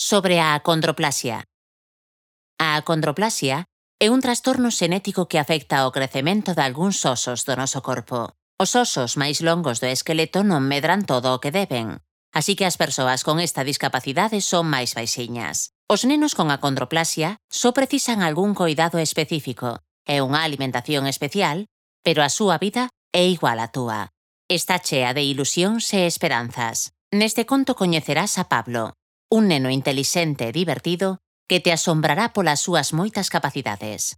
Sobre a acondroplasia. A acondroplasia é un trastorno xenético que afecta ao crecemento de algúns osos do noso corpo. Os osos máis longos do esqueleto non medran todo o que deben, así que as persoas con esta discapacidade son máis baixiñas. Os nenos con acondroplasia só precisan algún coidado específico e unha alimentación especial, pero a súa vida é igual á túa. Está chea de ilusións e esperanzas. Neste conto coñecerás a Pablo, un neno intelixente e divertido que te asombrará polas súas moitas capacidades.